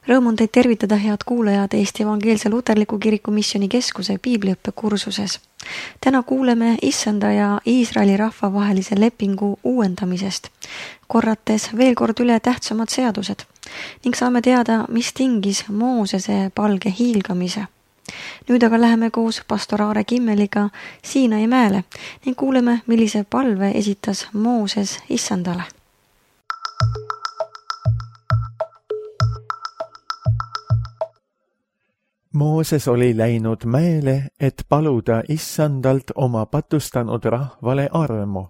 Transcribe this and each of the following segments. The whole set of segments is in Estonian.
Rõõm on teid tervitada, head kuulajad, Eesti Evangeelse Luterliku Kiriku Missioonikeskuse piibliõppe-kursuses. Täna kuuleme Issanda ja Iisraeli rahva vahelise lepingu uuendamisest, korrates veel kord üle tähtsamad seadused ning saame teada, mis tingis Moosese palge hiilgamise. Nüüd aga läheme koos pastor Aare Kimmeliga Siinai mäele ning kuuleme, millise palve esitas Mooses Issandale. Mooses oli läinud mäele, et paluda Issandalt oma patustanud rahvale armu,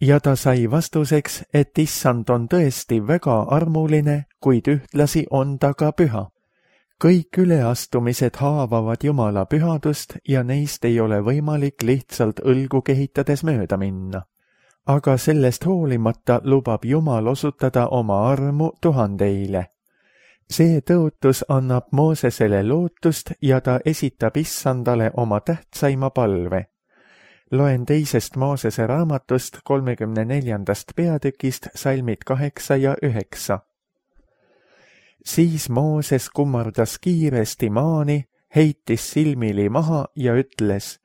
ja ta sai vastuseks, et Issand on tõesti väga armuline, kuid ühtlasi on ta ka püha. Kõik üleastumised haavavad Jumala pühadust ja neist ei ole võimalik lihtsalt õlgu kehitades mööda minna. Aga sellest hoolimata lubab Jumal osutada oma armu tuhandeile. See tõotus annab Moosesele lootust ja ta esitab Issandale oma tähtsaima palve. Loen 2. Moosese raamatust 34. peatükist salmid 8 ja 9. Siis Mooses kummardas kiiresti maani, heitis silmili maha ja ütles,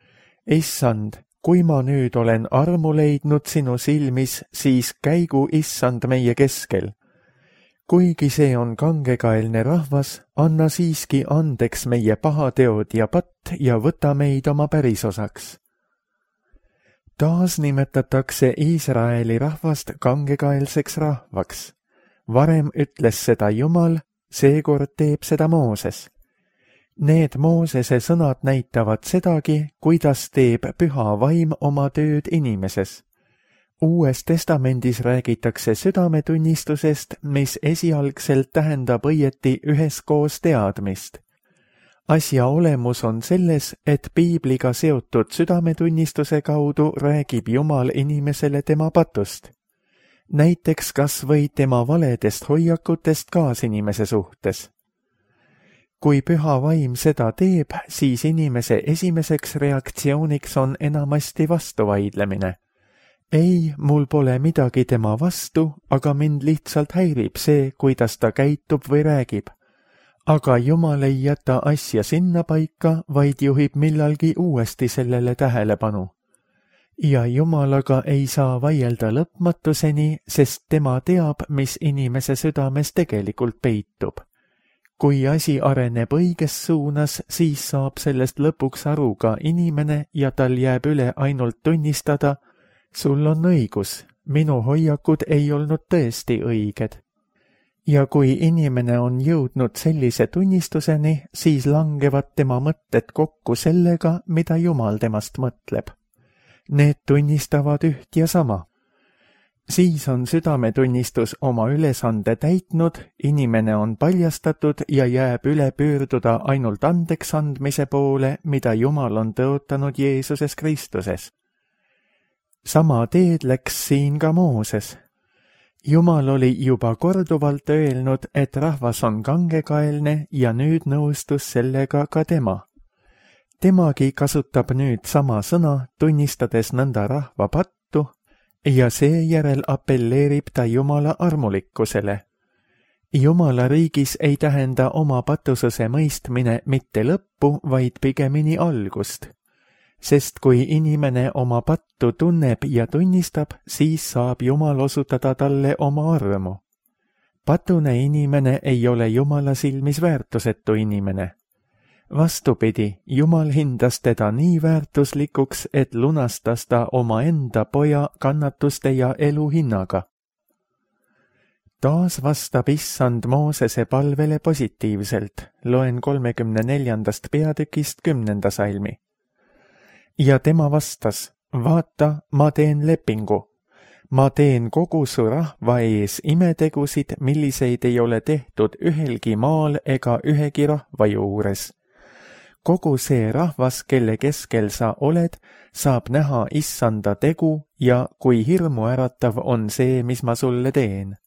Issand, kui ma nüüd olen armu leidnud sinu silmis, siis käigu Issand meie keskel. Kuigi see on kangekaelne rahvas, anna siiski andeks meie pahateod ja patt ja võta meid oma pärisosaks. Taas nimetatakse Iisraeli rahvast kangekaelseks rahvaks. Varem ütles seda Jumal, seekord teeb seda Mooses. Need Moosese sõnad näitavad sedagi, kuidas teeb püha vaim oma tööd inimeses. Uues testamendis räägitakse südametunnistusest, mis esialgselt tähendab õieti üheskoos teadmist. Asja olemus on selles, et piibliga seotud südametunnistuse kaudu räägib Jumal inimesele tema patust. Näiteks kas või tema valedest hoiakutest kaasinimese suhtes. Kui püha vaim seda teeb, siis inimese esimeseks reaktsiooniks on enamasti vastuvaidlemine. Ei, mul pole midagi tema vastu, aga mind lihtsalt häirib see, kuidas ta käitub või räägib. Aga Jumal ei jäta asja sinna paika, vaid juhib millalgi uuesti sellele tähelepanu. Ja Jumalaga ei saa vaielda lõpmatuseni, sest tema teab, mis inimese südames tegelikult peitub. Kui asi areneb õiges suunas, siis saab sellest lõpuks aru ka inimene ja tal jääb üle ainult tunnistada, sul on õigus, minu hoiakud ei olnud tõesti õiged. Ja kui inimene on jõudnud sellise tunnistuseni, siis langevad tema mõtted kokku sellega, mida Jumal temast mõtleb. Need tunnistavad üht ja sama. Siis on südametunnistus oma ülesande täitnud, inimene on paljastatud ja jääb üle pöörduda ainult andeks andmise poole, mida Jumal on tõotanud Jeesuses Kristuses. Sama teed läks siin ka Mooses. Jumal oli juba korduvalt öelnud, et rahvas on kangekaelne ja nüüd nõustus sellega ka tema. Temagi kasutab nüüd sama sõna, tunnistades nõnda rahva pattu ja seejärel apelleerib ta Jumala armulikkusele. Jumala riigis ei tähenda oma patususe mõistmine mitte lõppu, vaid pigemini algust. Sest kui inimene oma pattu tunneb ja tunnistab, siis saab Jumal osutada talle oma armu. Patune inimene ei ole Jumala silmis väärtusetu inimene. Vastupidi, Jumal hindas teda nii väärtuslikuks, et lunastas ta omaenda poja kannatuste ja elu hinnaga. Taas vastab Issand Moosese palvele positiivselt, loen 34. peatükist 10. salmi. Ja tema vastas, vaata, ma teen lepingu. Ma teen kogu su rahva ees imetegusid, milliseid ei ole tehtud ühelgi maal ega ühegi rahva juures. Kogu see rahvas, kelle keskel sa oled, saab näha Issanda tegu ja kui hirmuäratav on see, mis ma sulle teen.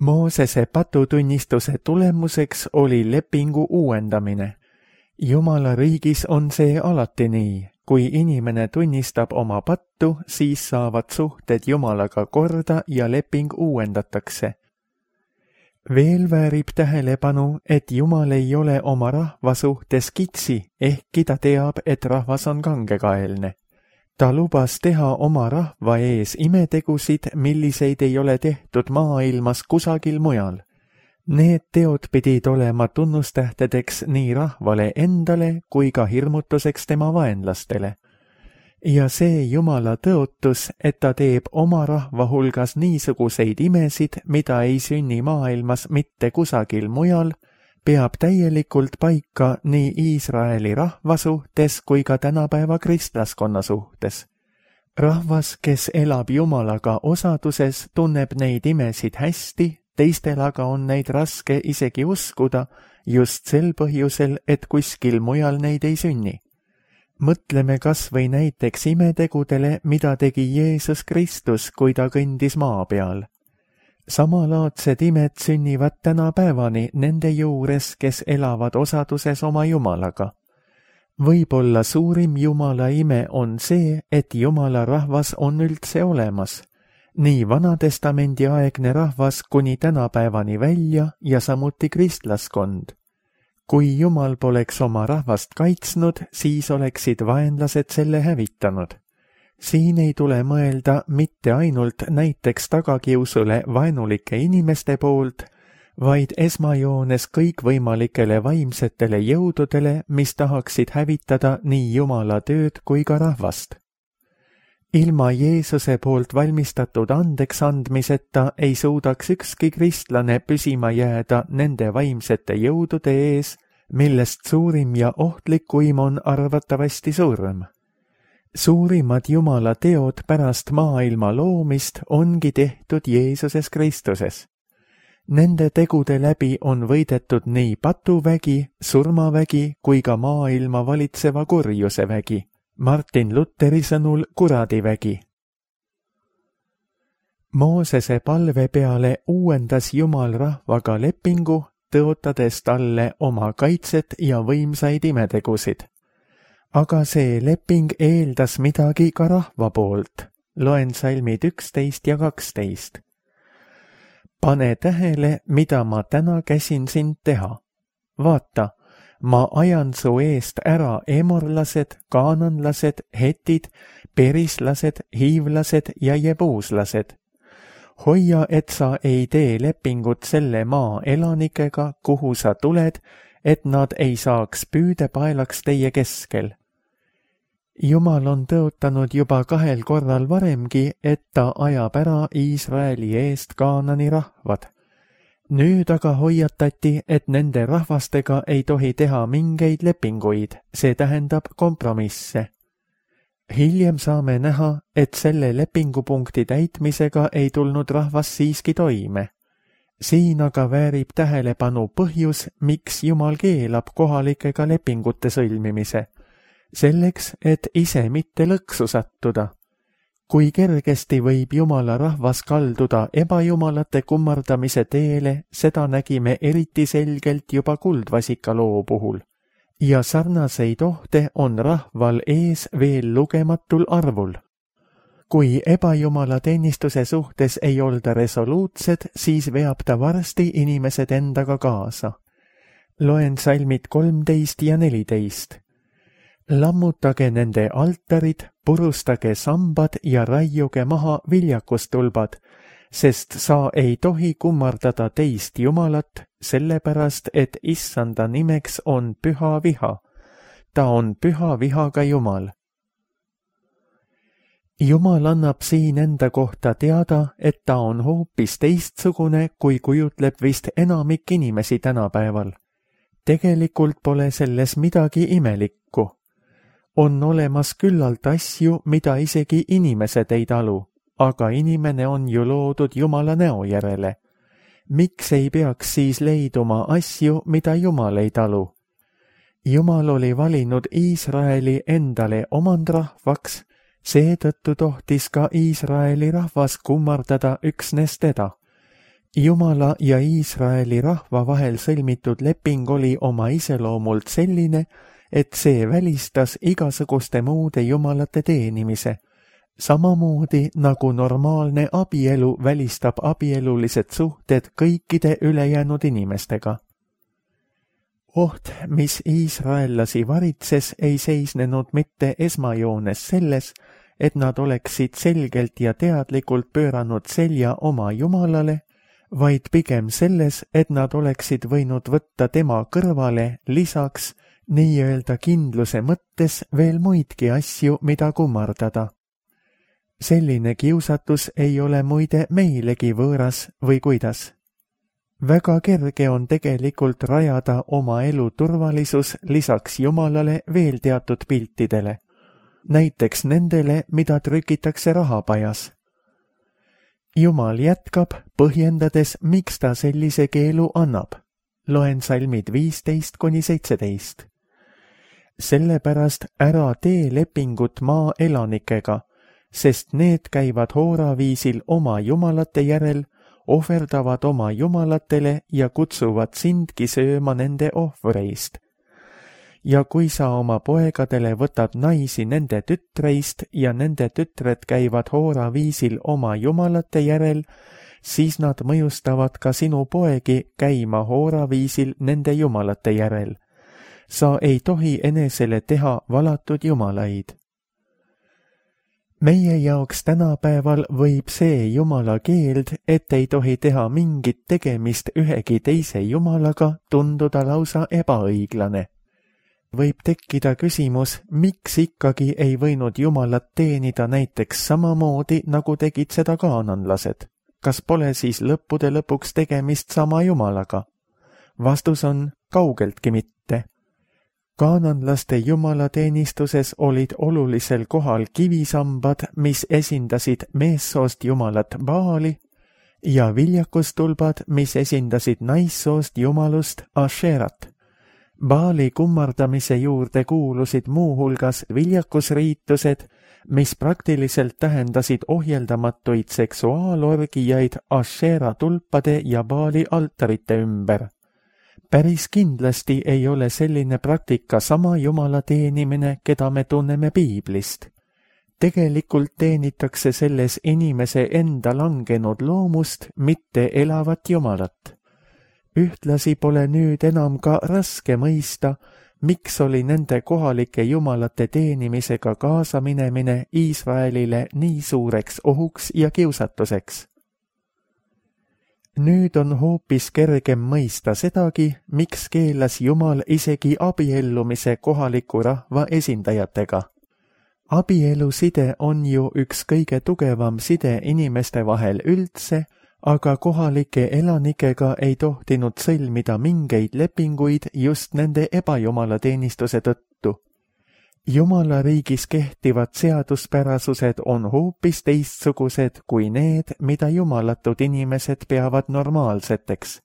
Moosese patutunnistuse tulemuseks oli lepingu uuendamine. Jumala riigis on see alati nii. Kui inimene tunnistab oma pattu, siis saavad suhted Jumalaga korda ja leping uuendatakse. Veel väärib tähelepanu, et Jumal ei ole oma rahva suhtes kitsi, ehkki ta teab, et rahvas on kangekaelne. Ta lubas teha oma rahva ees imetegusid, milliseid ei ole tehtud maailmas kusagil mujal. Need teod pidid olema tunnustähtedeks nii rahvale endale kui ka hirmutuseks tema vaenlastele. Ja see Jumala tõotus, et ta teeb oma rahva hulgas niisuguseid imesid, mida ei sünni maailmas mitte kusagil mujal, peab täielikult paika nii Iisraeli rahva suhtes kui ka tänapäeva kristlaskonna suhtes. Rahvas, kes elab Jumalaga osaduses, tunneb neid imesid hästi, teistel aga on neid raske isegi uskuda just sel põhjusel, et kuskil mujal neid ei sünni. Mõtleme kas või näiteks imetegudele, mida tegi Jeesus Kristus, kui ta kõndis maa peal. Samalaadsed imed sünnivad tänapäevani nende juures, kes elavad osaduses oma Jumalaga. Võib-olla suurim Jumala ime on see, et Jumala rahvas on üldse olemas. Nii Vanatestamendi aegne rahvas kuni tänapäevani välja ja samuti kristlaskond. Kui Jumal poleks oma rahvast kaitsnud, siis oleksid vaenlased selle hävitanud. Siin ei tule mõelda mitte ainult näiteks tagakiusule vaenulike inimeste poolt, vaid esmajoones kõikvõimalikele vaimsetele jõududele, mis tahaksid hävitada nii Jumala tööd kui ka rahvast. Ilma Jeesuse poolt valmistatud andeks andmiseta ei suudaks ükski kristlane püsima jääda nende vaimsete jõudude ees, millest suurim ja ohtlikuim on arvatavasti surm. Suurimad Jumala teod pärast maailma loomist ongi tehtud Jeesuses Kristuses. Nende tegude läbi on võidetud nii patuvägi, surmavägi kui ka maailma valitseva kurjuse vägi. Martin Luteri sõnul kuradivägi. Moosese palve peale uuendas Jumal rahvaga lepingu, tõotades talle oma kaitset ja võimsaid imetegusid. Aga see leping eeldas midagi ka rahva poolt. Loen salmid 11 ja 12. Pane tähele, mida ma täna käsin sind teha. Vaata, ma ajan su eest ära emorlased, kaananlased, hetid, perislased, hiivlased ja jebuuslased. Hoia, et sa ei tee lepingut selle maa elanikega, kuhu sa tuled, et nad ei saaks püüdepaelaks teie keskel. Jumal on tõotanud juba 2 korral varemgi, et ta ajab ära Iisraeli eest Kaanani rahvad. Nüüd aga hoiatati, et nende rahvastega ei tohi teha mingeid lepinguid, see tähendab kompromisse. Hiljem saame näha, et selle lepingupunkti täitmisega ei tulnud rahvas siiski toime. Siin aga väärib tähelepanu põhjus, miks Jumal keelab kohalikega lepingute sõlmimise. Selleks, et ise mitte lõksu sattuda. Kui kergesti võib Jumala rahvas kalduda ebajumalate kummardamise teele, seda nägime eriti selgelt juba kuldvasika loo puhul. Ja sarnaseid ohte on rahval ees veel lugematul arvul. Kui ebajumala teenistuse suhtes ei olda resoluutsed, siis veab ta varsti inimesed endaga kaasa. Loen salmid 13 ja 14. Lammutage nende altarid, purustage sambad ja raiuge maha viljakustulbad, sest sa ei tohi kummardada teist Jumalat, sellepärast, et Issanda nimeks on püha viha. Ta on püha vihaga Jumal. Jumal annab siin enda kohta teada, et ta on hoopis teistsugune, kui kujutleb vist enamik inimesi tänapäeval. Tegelikult pole selles midagi imelikku. On olemas küllalt asju, mida isegi inimesed ei talu, aga inimene on ju loodud Jumala näo järele. Miks ei peaks siis leiduma asju, mida Jumal ei talu? Jumal oli valinud Iisraeli endale omandrahvaks, seetõttu tohtis ka Iisraeli rahvas kummardada üksnes teda. Jumala ja Iisraeli rahva vahel sõlmitud leping oli oma iseloomult selline, et see välistas igasuguste muude jumalate teenimise, samamoodi nagu normaalne abielu välistab abielulised suhted kõikide ülejäänud inimestega. Oht, mis iisraellasi varitses, ei seisnenud mitte esmajoones selles, et nad oleksid selgelt ja teadlikult pööranud selja oma Jumalale, vaid pigem selles, et nad oleksid võinud võtta tema kõrvale lisaks nii-öelda kindluse mõttes veel muidki asju, mida kummardada. Selline kiusatus ei ole muide meilegi võõras või kuidas. Väga kerge on tegelikult rajada oma elu turvalisus lisaks Jumalale veel teatud piltidele, näiteks nendele, mida trükitakse rahapajas. Jumal jätkab, põhjendades, miks ta sellise keelu annab. Loen salmid 15-17. Sellepärast ära tee lepingut maa elanikega, sest need käivad hooraviisil oma jumalate järel, ohverdavad oma jumalatele ja kutsuvad sindki sööma nende ohvreist. Ja kui sa oma poegadele võtad naisi nende tütreist ja nende tütred käivad hooraviisil oma jumalate järel, siis nad mõjustavad ka sinu poegi käima hooraviisil nende jumalate järel. Sa ei tohi enesele teha valatud jumalaid. Meie jaoks tänapäeval võib see jumala keeld, et ei tohi teha mingit tegemist ühegi teise jumalaga, tunduda lausa ebaõiglane. Võib tekkida küsimus, miks ikkagi ei võinud jumalat teenida näiteks samamoodi, nagu tegid seda kaananlased. Kas pole siis lõppude lõpuks tegemist sama jumalaga? Vastus on kaugeltki mitte. Kaananlaste jumalateenistuses olid olulisel kohal kivisambad, mis esindasid meessoost jumalat Baali, ja viljakustulbad, mis esindasid naissoost jumalust Asherat. Baali kummardamise juurde kuulusid muuhulgas viljakusriitused, mis praktiliselt tähendasid ohjeldamatuid seksuaalorgijaid Ashera tulpade ja Baali altarite ümber. Päris kindlasti ei ole selline praktika sama jumala teenimine, keda me tunneme piiblist. Tegelikult teenitakse selles inimese enda langenud loomust, mitte elavat jumalat. Ühtlasi pole nüüd enam ka raske mõista, miks oli nende kohalike jumalate teenimisega kaasaminemine Iisraelile nii suureks ohuks ja kiusatuseks. Nüüd on hoopis kergem mõista sedagi, miks keelas Jumal isegi abiellumise kohaliku rahva esindajatega. Abieluside on ju üks kõige tugevam side inimeste vahel üldse, aga kohalike elanikega ei tohtinud sõlmida mingeid lepinguid just nende ebajumalateenistuse tõttu. Jumala riigis kehtivad seaduspärasused on hoopis teistsugused kui need, mida jumalatud inimesed peavad normaalseteks.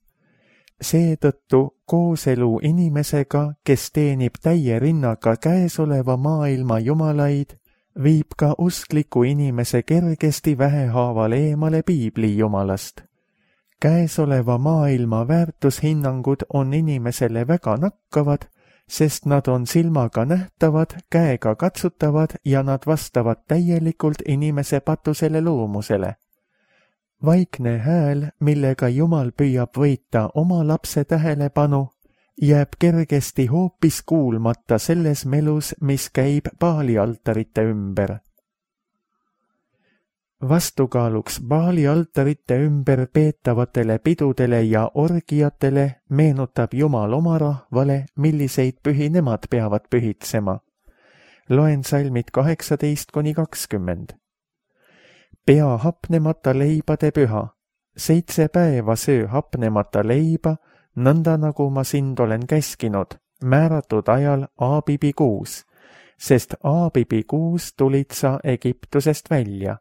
Seetõttu kooselu inimesega, kes teenib täie rinnaga käesoleva maailma jumalaid, viib ka uskliku inimese kergesti vähehaaval eemale piibli jumalast. Käesoleva maailma väärtushinnangud on inimesele väga nakkavad, sest nad on silmaga nähtavad, käega katsutavad ja nad vastavad täielikult inimese patusele loomusele. Vaikne hääl, millega Jumal püüab võita oma lapse tähelepanu, jääb kergesti hoopis kuulmata selles melus, mis käib Baali altarite ümber. Vastukaaluks Baali altarite ümber peetavatele pidudele ja orgiatele meenutab Jumal oma rahvale, milliseid pühi nemad peavad pühitsema. Loen salmid 18-20. Pea hapnemata leibade püha. 7 päeva söö hapnemata leiba, nõnda nagu ma sind olen käskinud, määratud ajal Aabibi kuus, sest Aabibi kuus tulid sa Egiptusest välja.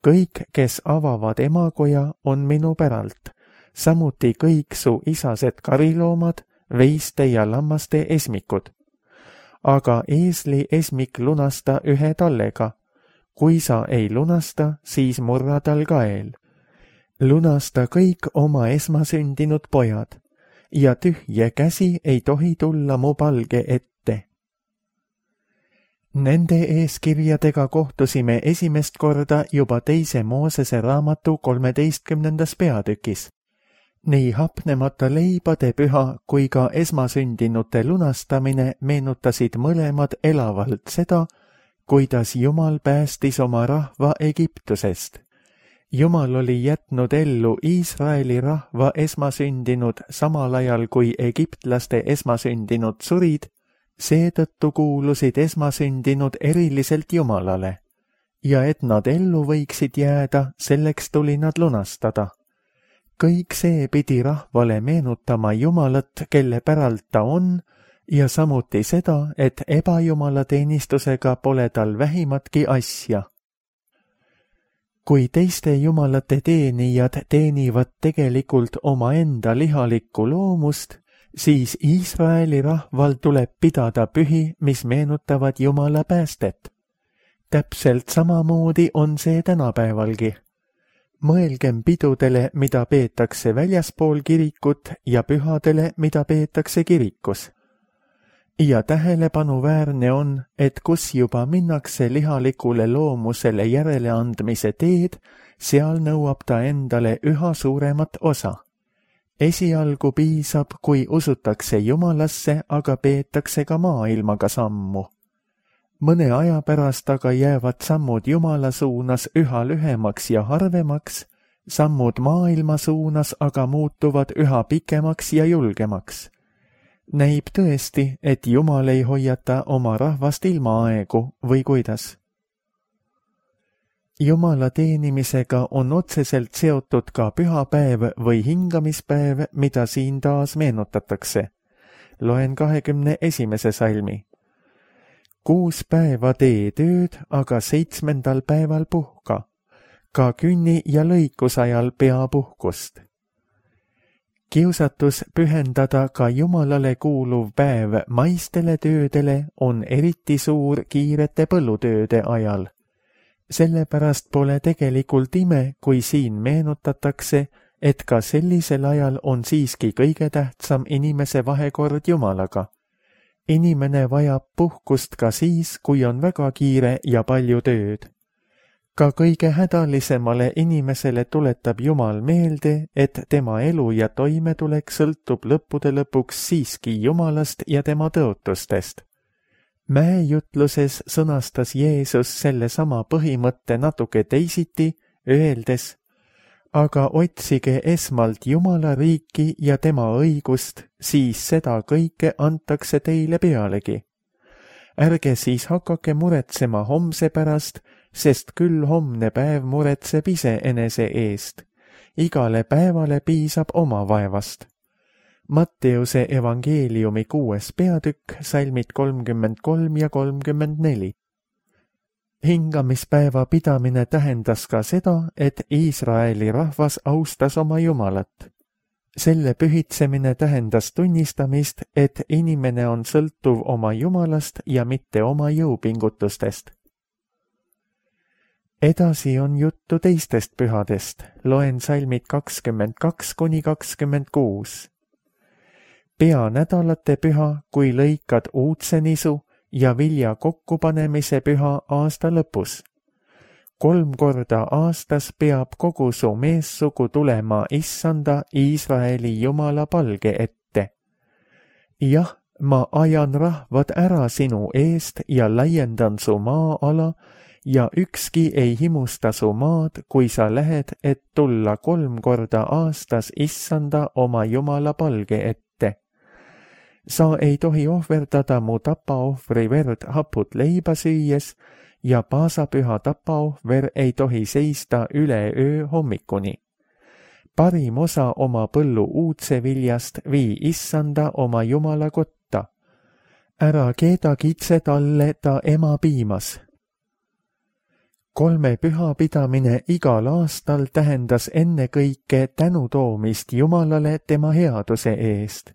Kõik, kes avavad emakoja, on minu päralt, samuti kõik su isased kariloomad, veiste ja lammaste esmikud. Aga eesli esmik lunasta 1 tallega. Kui sa ei lunasta, siis murra tal kael. Lunasta kõik oma esmasündinud pojad ja tühje käsi ei tohi tulla mu palge ette. Nende eeskirjadega kohtusime esimest korda juba 2. Moosese raamatu 13. peatükis. Nii hapnemata leibade püha kui ka esmasündinute lunastamine meenutasid mõlemad elavalt seda, kuidas Jumal päästis oma rahva Egiptusest. Jumal oli jätnud ellu Iisraeli rahva esmasündinud samal ajal kui egiptlaste esmasündinud surid, seetõttu kuulusid esmasündinud eriliselt Jumalale, ja et nad ellu võiksid jääda, selleks tuli nad lunastada. Kõik see pidi rahvale meenutama Jumalat, kelle päralt ta on, ja samuti seda, et ebajumala teenistusega pole tal vähimatki asja. Kui teiste jumalate teenijad teenivad tegelikult omaenda lihalikku loomust, siis Iisraeli rahval tuleb pidada pühi, mis meenutavad Jumala päästet. Täpselt samamoodi on see tänapäevalgi. Mõelgem pidudele, mida peetakse väljaspool kirikut ja pühadele, mida peetakse kirikus. Ja tähelepanuväärne on, et kus juba minnakse lihalikule loomusele järeleandmise teed, seal nõuab ta endale üha suuremat osa. Esialgu piisab, kui usutakse Jumalasse, aga peetakse ka maailmaga sammu. Mõne aja pärast aga jäävad sammud Jumala suunas üha lühemaks ja harvemaks, sammud maailma suunas aga muutuvad üha pikemaks ja julgemaks. Näib tõesti, et Jumal ei hoiata oma rahvast ilmaaegu või kuidas. Jumala teenimisega on otseselt seotud ka pühapäev või hingamispäev, mida siin taas meenutatakse. Loen 21. salmi. 6 päeva tee tööd, aga 7. päeval puhka. Ka künni ja lõikusajal pea puhkust. Kiusatus pühendada ka Jumalale kuuluv päev maistele töödele on eriti suur kiirete põllutööde ajal. Sellepärast pole tegelikult ime, kui siin meenutatakse, et ka sellisel ajal on siiski kõige tähtsam inimese vahekord Jumalaga. Inimene vajab puhkust ka siis, kui on väga kiire ja palju tööd. Ka kõige hädalisemale inimesele tuletab Jumal meelde, et tema elu ja toimetulek sõltub lõppude lõpuks siiski Jumalast ja tema tõotustest. Mäejutluses sõnastas Jeesus sellesama põhimõtte natuke teisiti, öeldes, aga otsige esmalt Jumala riiki ja tema õigust, siis seda kõike antakse teile pealegi. Ärge siis hakake muretsema homse pärast, sest küll homne päev muretseb ise enese eest. Igale päevale piisab oma vaevast. Matteuse evangeeliumi 6. peatükk, salmid 33 ja 34. Hingamispäeva pidamine tähendas ka seda, et Iisraeli rahvas austas oma Jumalat. Selle pühitsemine tähendas tunnistamist, et inimene on sõltuv oma Jumalast ja mitte oma jõupingutustest. Edasi on juttu teistest pühadest, loen salmid 22 kuni 26. Peanädalate püha, kui lõikad uudsenisu ja vilja kokkupanemise püha aasta lõpus. 3 korda aastas peab kogu su meessugu tulema Issanda Iisraeli Jumala palge ette. Jah, ma ajan rahvad ära sinu eest ja laiendan su maa-ala ja ükski ei himusta su maad, kui sa lähed, et tulla 3 korda aastas Issanda oma Jumala palge ette. Sa ei tohi ohverdada mu tapaohvri verd haput leiba süües ja paasapüha tapaohver ei tohi seista üle öö hommikuni. Parim osa oma põllu uudse viljast vii Issanda oma Jumala kotta. Ära keeda kitse talle ta ema piimas. 3 püha pidamine igal aastal tähendas ennekõike tänutoomist Jumalale tema headuse eest.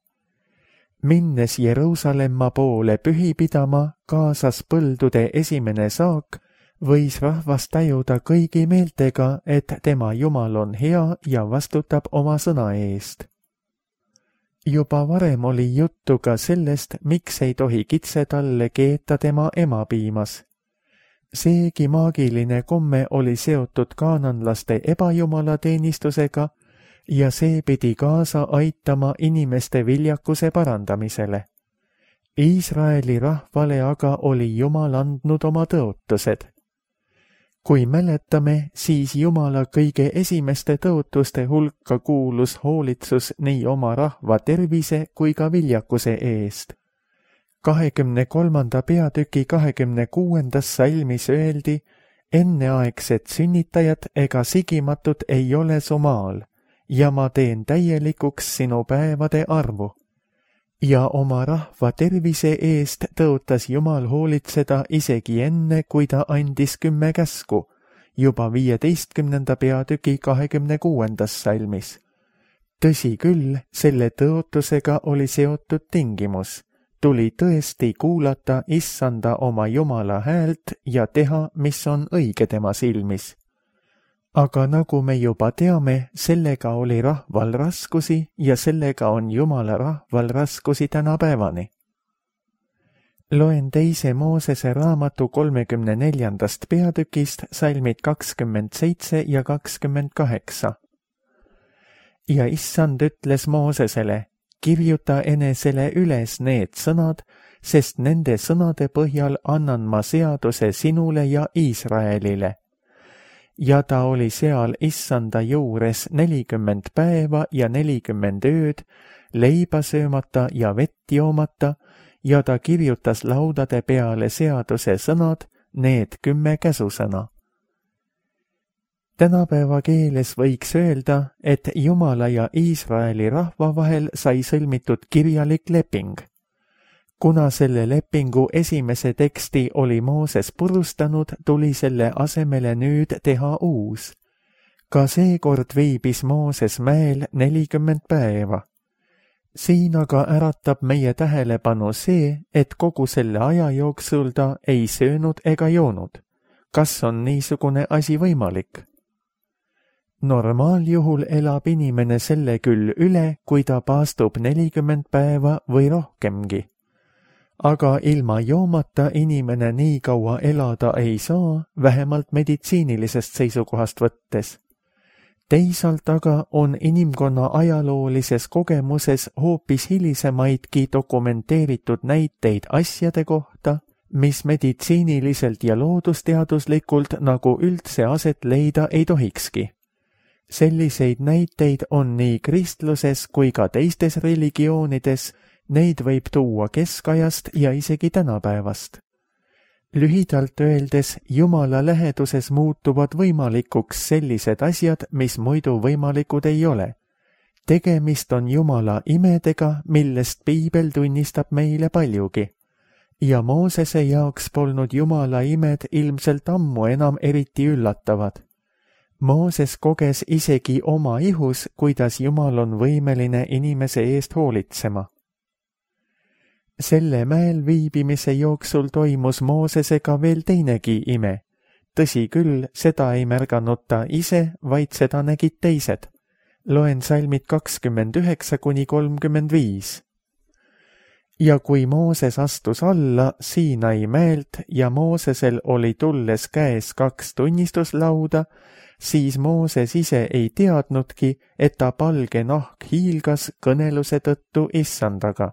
Minnes Jeruusalemma poole pühi pidama, kaasas põldude esimene saak, võis rahvas tajuda kõigi meeltega, et tema Jumal on hea ja vastutab oma sõna eest. Juba varem oli juttu ka sellest, miks ei tohi kitsetalle keeta tema emapiimas. Seegi maagiline komme oli seotud kaananlaste ebajumalateenistusega ja see pidi kaasa aitama inimeste viljakuse parandamisele. Iisraeli rahvale aga oli Jumal andnud oma tõotused. Kui mäletame, siis Jumala kõige esimeste tõotuste hulka kuulus hoolitsus nii oma rahva tervise kui ka viljakuse eest. 23. peatüki 26. salmis öeldi, enneaegsed sünnitajad ega sigimatud ei ole su maal, ja ma teen täielikuks sinu päevade arvu. Ja oma rahva tervise eest tõotas Jumal hoolitseda isegi enne, kui ta andis 10 käsku, juba 15. peatüki 26. salmis. Tõsi küll, selle tõotusega oli seotud tingimus. Tuli tõesti kuulata Issanda oma Jumala häält ja teha, mis on õige tema silmis. Aga nagu me juba teame, sellega oli rahval raskusi ja sellega on Jumala rahval raskusi tänapäevani. Loen 2. Moosese raamatu 34. peatükist salmid 27 ja 28. Ja Issand ütles Moosesele, kirjuta enesele üles need sõnad, sest nende sõnade põhjal annan ma seaduse sinule ja Iisraelile. Ja ta oli seal Issanda juures 40 päeva ja 40 ööd, leiba söömata ja vett joomata, ja ta kirjutas laudade peale seaduse sõnad, need 10 käsusõna. Tänapäeva keeles võiks öelda, et Jumala ja Iisraeli rahva vahel sai sõlmitud kirjalik leping. Kuna selle lepingu esimese teksti oli Mooses purustanud, tuli selle asemele nüüd teha uus. Ka seekord viibis Mooses mäel 40 päeva. Siin aga äratab meie tähelepanu see, et kogu selle aja jooksul ta ei söönud ega joonud. Kas on niisugune asi võimalik? Normaaljuhul elab inimene selle küll üle, kui ta paastub 40 päeva või rohkemgi. Aga ilma joomata inimene nii kaua elada ei saa, vähemalt meditsiinilisest seisukohast võttes. Teisalt aga on inimkonna ajaloolises kogemuses hoopis hilisemaidki dokumenteeritud näiteid asjade kohta, mis meditsiiniliselt ja loodusteaduslikult nagu üldse aset leida ei tohikski. Selliseid näiteid on nii kristluses kui ka teistes religioonides, neid võib tuua keskajast ja isegi tänapäevast. Lühidalt öeldes, Jumala läheduses muutuvad võimalikuks sellised asjad, mis muidu võimalikud ei ole. Tegemist on Jumala imedega, millest Piibel tunnistab meile paljugi. Ja Moosese jaoks polnud Jumala imed ilmselt ammu enam eriti üllatavad. Mooses koges isegi oma ihus, kuidas Jumal on võimeline inimese eest hoolitsema. Selle mäel viibimise jooksul toimus Moosesega veel teinegi ime. Tõsi küll, seda ei märganud ta ise, vaid seda nägid teised. Loen salmid 29–35. Ja kui Mooses astus alla Siinai mäelt ja Moosesel oli tulles käes 2 tunnistuslauda, siis Mooses ise ei teadnudki, et ta palge nahk hiilgas kõneluse tõttu Issandaga.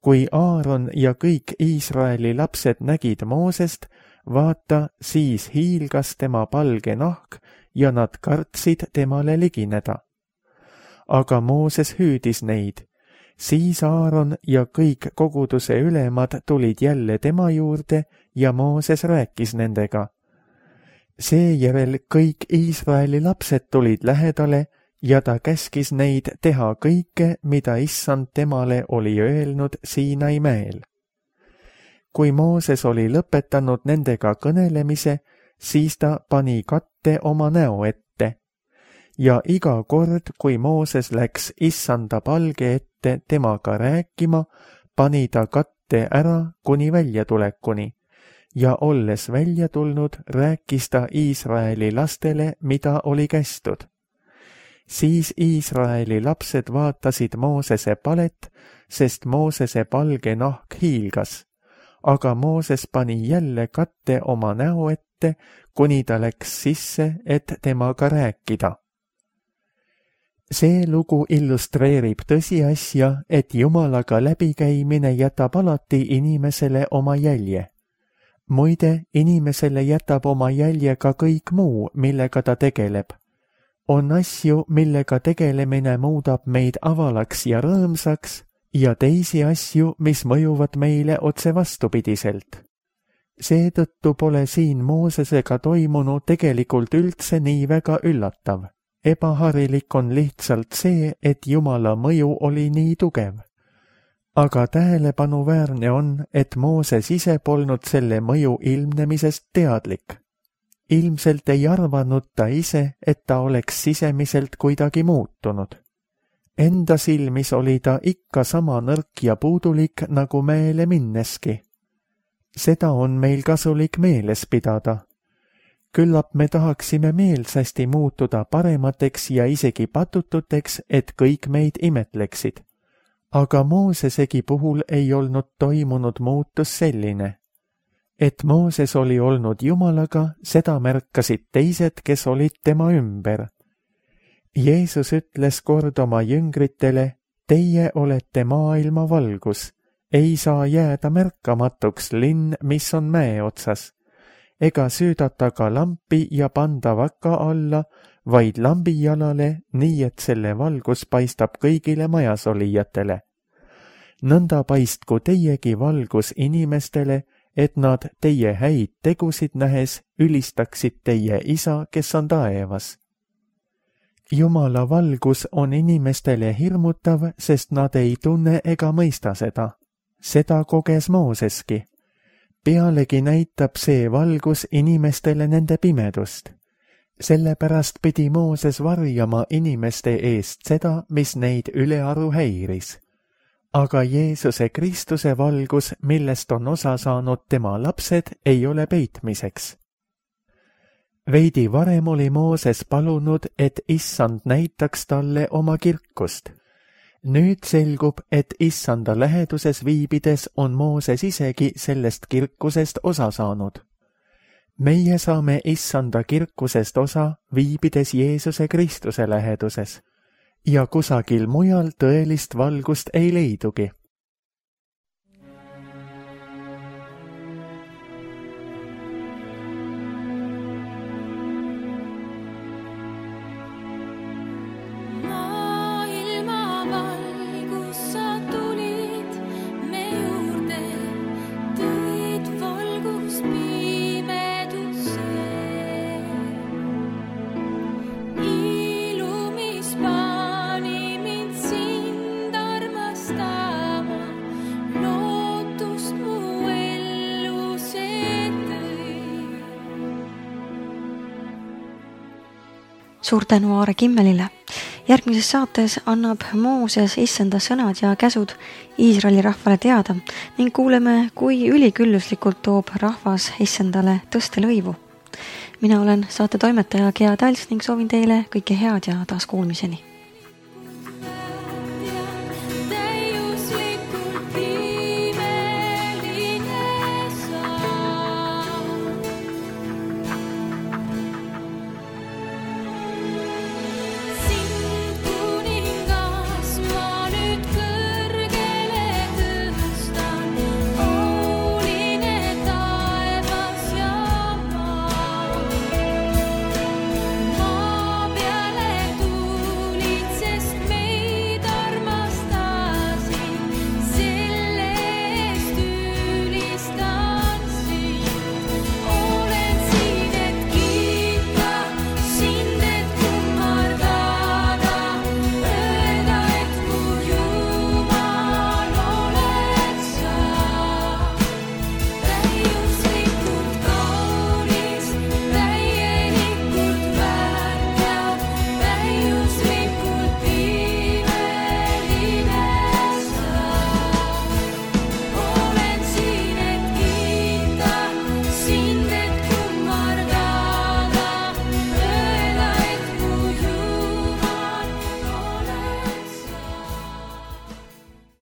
Kui Aaron ja kõik Iisraeli lapsed nägid Moosest, vaata, siis hiilgas tema palge nahk ja nad kartsid temale ligineda. Aga Mooses hüüdis neid. Siis Aaron ja kõik koguduse ülemad tulid jälle tema juurde ja Mooses rääkis nendega. Seejärel kõik Iisraeli lapsed tulid lähedale ja ta käskis neid teha kõike, mida Issand temale oli öelnud Siinai mäel. Kui Mooses oli lõpetanud nendega kõnelemise, siis ta pani katte oma näo ette. Ja iga kord, kui Mooses läks Issanda palge ette temaga rääkima, pani ta katte ära kuni väljatulekuni. Ja olles välja tulnud, rääkis ta Iisraeli lastele, mida oli kästud. Siis Iisraeli lapsed vaatasid Moosese palet, sest Moosese palge nahk hiilgas. Aga Mooses pani jälle katte oma näo ette, kuni ta läks sisse, et temaga rääkida. See lugu illustreerib tõsiasja, et Jumalaga läbikäimine jätab alati inimesele oma jälje. Muide, inimesele jätab oma jälje ka kõik muu, millega ta tegeleb. On asju, millega tegelemine muudab meid avalaks ja rõõmsaks, ja teisi asju, mis mõjuvad meile otse vastupidiselt. Seetõttu pole siin Moosesega toimunu tegelikult üldse nii väga üllatav. Ebaharilik on lihtsalt see, et Jumala mõju oli nii tugev. Aga tähelepanuväärne on, et Mooses ise polnud selle mõju ilmnemisest teadlik. Ilmselt ei arvanud ta ise, et ta oleks sisemiselt kuidagi muutunud. Enda silmis oli ta ikka sama nõrk ja puudulik nagu mäele minneski. Seda on meil kasulik meeles pidada. Küllap me tahaksime meelsasti muutuda paremateks ja isegi patututeks, et kõik meid imetleksid. Aga Moosesegi puhul ei olnud toimunud muutus selline. Et Mooses oli olnud Jumalaga, seda märkasid teised, kes olid tema ümber. Jeesus ütles kord oma jüngritele, teie olete maailma valgus, ei saa jääda märkamatuks linn, mis on mäe otsas. Ega süüdata ka lampi ja panda vaka alla, vaid lambijalale, nii et selle valgus paistab kõigile majas olijatele. Nõnda paistku teiegi valgus inimestele, et nad teie häid tegusid nähes ülistaksid teie isa, kes on taevas. Jumala valgus on inimestele hirmutav, sest nad ei tunne ega mõista seda. Seda koges Mooseski. Pealegi näitab see valgus inimestele nende pimedust. Sellepärast pidi Mooses varjama inimeste eest seda, mis neid ülearu häiris. Aga Jeesuse Kristuse valgus, millest on osa saanud tema lapsed, ei ole peitmiseks. Veidi varem oli Mooses palunud, et Issand näitaks talle oma kirkust. Nüüd selgub, et Issanda läheduses viibides on Mooses isegi sellest kirkusest osa saanud. Meie saame Issanda kirkusest osa, viibides Jeesuse Kristuse läheduses. Ja kusagil mujal tõelist valgust ei leidugi. Suur tänu Aare Kimmelile. Järgmises saates annab Mooses Issanda sõnad ja käsud Iisraeli rahvale teada ning kuuleme, kui ülikülluslikult toob rahvas Issandale tõstelõivu. Mina olen saate toimetaja Gea Tals ning soovin teile kõike head ja taas kuulmiseni.